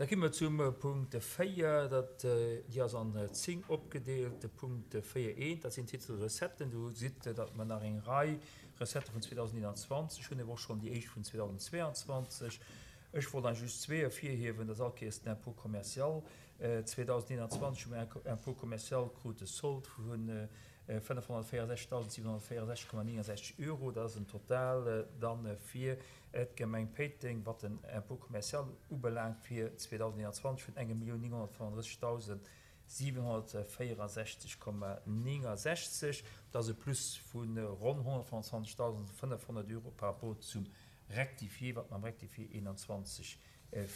Da gi mer zum Punkt 4, dat, déi ass an 10 opgedeelt. De Punkt 4 eent, dat sinn d'Titel Recetten. Do gesitt Der, datt mer nach eng Rei Recettë vun 2021 hunn, awer och schonn déi éischt vun 2022. Ech wollt eigentlech just zwee ervirhiewen, dat ass all Kéiers den Impôt commercial. 2021 hu mer Impôt commercial krut de Solde vu 564.764,69 Euro. Dat ass en Total dann fir d'Gemeng Péiteng, wat den Impôt commercial ubelaangt, fir 2021 vun 1.935.764,69. Dat ass e Plus vu ronn 125.500 Euro par rapport zum Rectifié, wat mer am Rectifié 21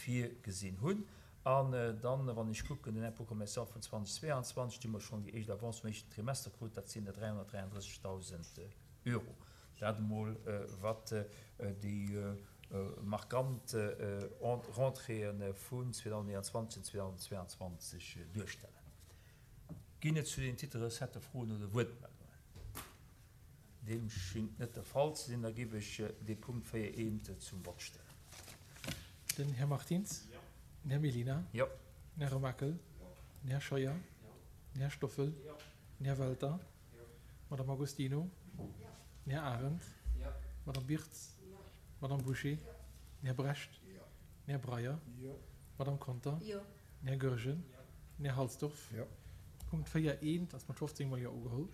virgesinn hunn. An dann, wann ech kucken, den Impôt commercial vun 2022, do hu mer schonn déi éischt Avance vum éischten Trimester krut, dat sinn der 333.000 Euro. Dat emol, wat déi markant Rentréeë vun 2021 an 2022 duerstellen. Ginn et zu den Titel Recettë Froen oder Wuertmeldungen? Deem schingt net de Fall ze sinn. Da géif ech dee Punkt 4 eent zum Vott stellen. Den Här Martins. Den Här Mellina. Den Här Remakel. Den Här Scheuer. Den Här Stoffel. Den Här Welter. D'Madame Agostino. Den Här Arendt. D'Madame Birtz. D'Madame Bouché. Den Här Brecht. Den Här Breyer. D'Madame Conter. Den Här Goergen. Den Här Halsdorf. Punkt 4 eent ass mat 15 mol Jo ugeholl.